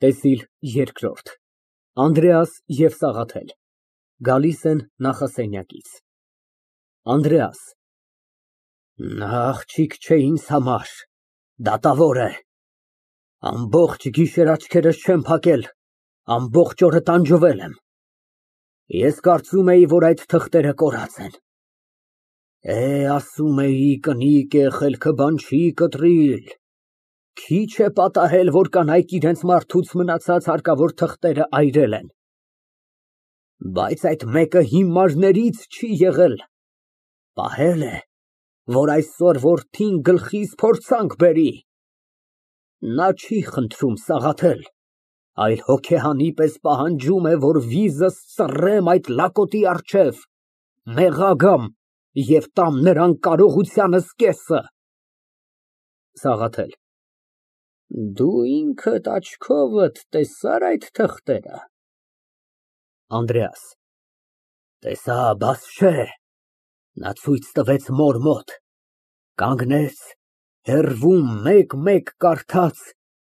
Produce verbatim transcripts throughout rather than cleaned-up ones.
ՏԵՍԻԼ ԵՐԿՐՈՐԴ ԱՆԴՐԵԱՍ և ՍԱՂԱԹԵԼ Գալիս են նախասենյակից։ ԱՆԴՐԵԱՍ ֊ Նա աղջիկ չէ ինձ համար, դատավոր է, ամբողջ գիշեր աչքերս չեմ փակել, ամբողջ օրը տանջվել եմ, ես կարծում էի, որ այդ թղթերը կորած են, է, ասում էի, կնիկ է, խելքը բան չի կտրիլ, քիչ է պատահել, որ կանայք իրենց մարդուց մնացած հարկավոր թղթերը այրել են, բայց այդ մեկը հիմարներից չի եղել, պահել է, որ այսօր որդին գլխիս փորձանք բերի, նա չի խնդրում, Սաղաթել, այլ հոգեհանի պես պահանջում է, որ վիզս ծռեմ այդ լակոտի առջև, մեղա գամ և տամ նրան կարողությանս կեսը։ ՍԱՂԱԹԵԼ ֊ Դու ինքդ աչքովդ տեսա՞ր այդ թղթերը։ ԱՆԴՐԵԱՍ ֊ Տեսա, բաս չէ, նա ցույց տվեց մոր մոտ, կանգնեց, հեռվում մեկ֊մեկ կարդաց,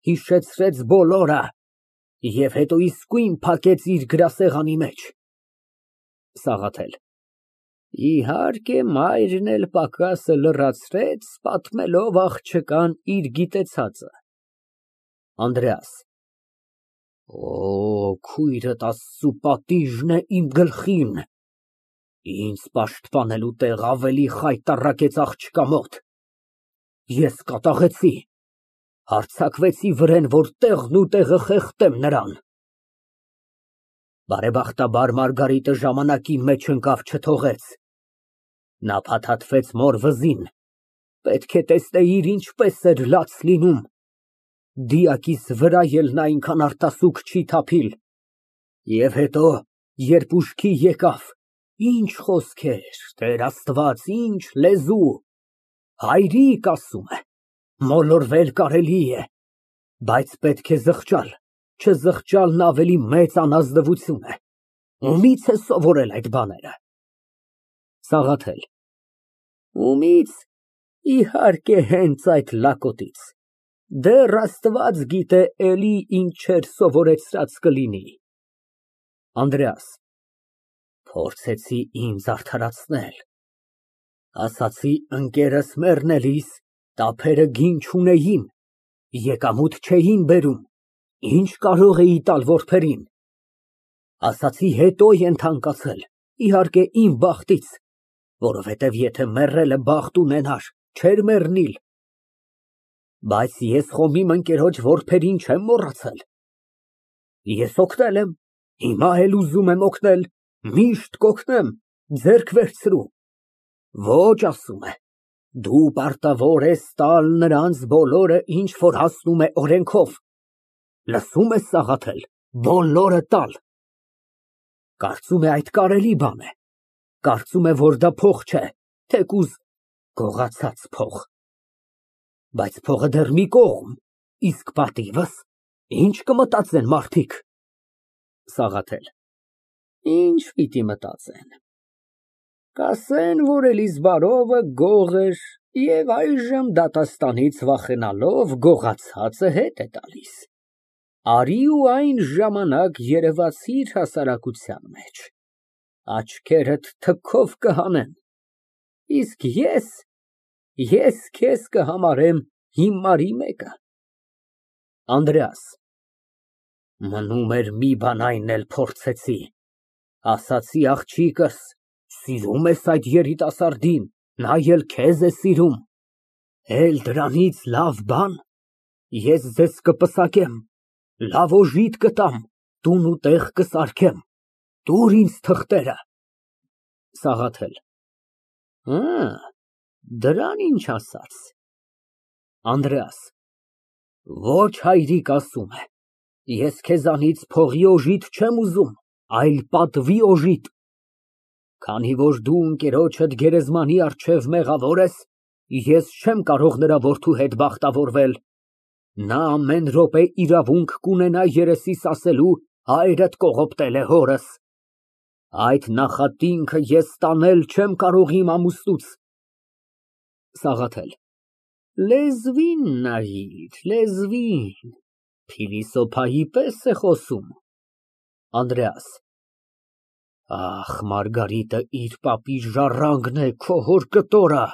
հիշեցրեց բոլորը և հետո իսկույն փակեց իր գրասեղանի մեջ։ ՍԱՂԱԹԵԼ ֊ Իհարկե, մայրն էլ պակասը լրացրեց, պատմելով աղջկան իր գիտեցածը։ ԱՆԴՐԵԱՍ ֊ Օ, քույրդ Աստծու պատիժն է իմ գլխին, ինձ պաշտպանելու տեղ ավելի խայտառակեց աղջկա մոտ, ես կատաղեցի, հարձակվեցի վրեն, որ տեղն ու տեղը խեղդեմ նրան։ Բարեբախտաբար Մարգարիտը ժամանակի մեջ ընկավ, չթողեց, նա փաթաթվեց մոր վզին, պետք է տեսնեիր ինչպես էր լաց լինում, դիակիս վրա էլ նա այնքան արտասուք չի թափիլ, և հետո, երբ ուշքի եկավ, ինչ խոսքեր, Տեր Աստված, ինչ լեզու, հայրիկ, ասում է, մոլորվել կարելի է, բայց պետք է զղջալ, չզղջալն ավելի մեծ անազնվություն է, ումի՞ց է սովորել այդ բաները։ ՍԱՂԱԹԵԼ ֊ Ումի՞ց, իհարկե, հենց այդ լակոտից, դեռ Աստված գիտե էլի ինչեր սովորեցրած կլինի։ ԱՆԴՐԵԱՍ ֊ Փորձեցի ինձ արդարացնել, ասացի ընկերս մեռնելիս տափերը գին չունեին, եկամուտ չէին բերում, ինչ կարող էի տալ որբերին, ասացի հետո են թանկացել, իհարկե իմ բախտից, որովհետև եթե մեռելը բախտ ունենար, չէր մեռնիլ, բայց ես խոմ իմ ընկերոջ որբերին չեմ մոռացել, ես օգնել եմ, հիմա էլ ուզում եմ օգնել, միշտ կօգնեմ, ձեռք վերցրու, ոչ, ասում է, դու պարտավոր ես տալ նրանց բոլորը, ինչ որ հասնում է օրենքով, լսո՞ւմ ես, Սաղաթել, բոլորը տալ, կարծում է այդ կարելի բան է, կարծում է, որ դա փող չէ, թեկուզ գողացած փող, բայց փողը դեռ մի կողմ, իսկ պատիվս, ինչ կմտածեն մարդիկ։ ՍԱՂԱԹԵԼ ֊ Ինչ պիտի մտածեն, կասեն, որ Էլիզբարովը գող էր և այժմ դատաստանից վախենալով գողացածը հետ է տալիս, արի ու այն ժամանակ երևացիր հասարակության մեջ, աչքերդ թքով կհանեն, իսկ ես, ես քեզ կհամարեմ հիմարի մեկը։ ԱՆԴՐԵԱՍ ֊ Մնում էր մի բան, այն էլ փորձեցի, ասացի աղջիկս, սիրում ես այդ երիտասարդին, նա էլ քեզ է սիրում, էլ դրանից լավ բան, ես ձեզ կպսակեմ, լավ օժիտ կտամ, տուն ու տեղ կսարքեմ, տուր ինձ թղթերը։ ՍԱՂԱԹԵԼ ֊ Հը, դրան ինչ ասաց։ ԱՆԴՐԵԱՍ ֊ Ոչ, հայրիկ, ասում է, ես քեզանից փողի օժիտ չեմ ուզում, այլ պատվի օժիտ, քանի որ դու ընկերոջդ գերեզմանի առջև մեղավոր ես, ես չեմ կարող նրա որդու հետ բախտավորվել, նա ամեն րոպե իրավունք կունենա երեսիս ասելու հայրդ կողոպտել է հորս, այդ նախատինքը ես տանել չեմ կարող իմ ամուսնուց։ ՍԱՂԱԹԵԼ ֊ Լեզվին նայիր, լեզվին, Փիլիսոփայի պես է խոսում։ ԱՆԴՐԵԱՍ ֊ Ախ, Մարգարիտը իր պապի ժառանգն է, քո հոր կտորը։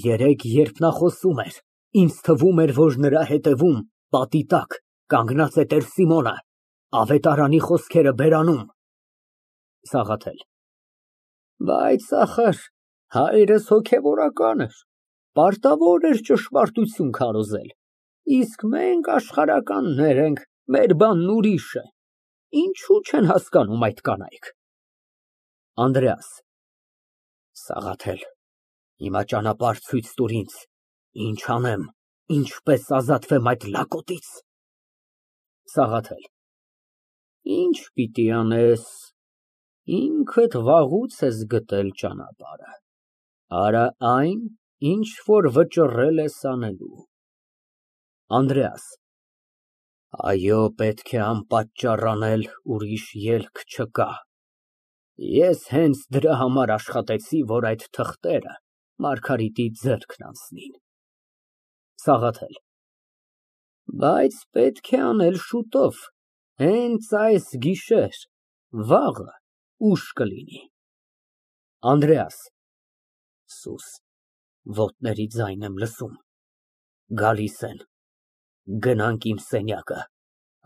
Երեկ, երբ նա խոսում էր, ինձ թվում էր, որ նրա հետևում, պատի տակ, կանգնած է տեր Սիմոնը, ավետարանի խոսքերը բերանում։ ՍԱՂԱԹԵԼ ֊ Բայց, ախար, հայրս հոգևորական էր, պարտավոր էր ճշմարտություն քարոզել, իսկ մենք աշխարհականներ ենք, մեր բանն ուրիշ է, ինչո՞ւ չեն հասկանում այդ կանայք։ ԱՆԴՐԵԱՍ ֊ Սաղաթել, հիմա ճանապարհ ցույց տուր ինձ, ինչ անեմ, ինչպես ազատվեմ այդ լակոտից։ ՍԱՂԱԹԵԼ ֊ Ինչ պիտի անես, ինքդ վաղուց ես գտել ճանապարհը, արա այն, ինչ որ վճռել ես անելու։ ԱՆԴՐԵԱՍ ֊ Այո, պետք է անպատճառ անել, ուրիշ ելք չկա։ Ես հենց դրա համար աշխատեցի, որ այդ թղթերը Մարգարիտի ձեռքն անցնեին։ ՍԱՂԱԹԵԼ ֊ Բայց պետք է անել շուտով, հենց այս գիշեր, վաղը ուշ կլինի։ ԱՆԴՐԵԱՍ ֊ Սուս, ոտների ձայն եմ լսում, գալիս են, գնանք իմ սենյակը,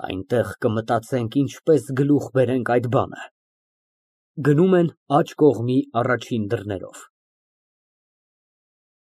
այնտեղ կմտածենք ինչպես գլուխ բերենք այդ բանը։ (Գնում են աջ կողմի առաջին դռներով)։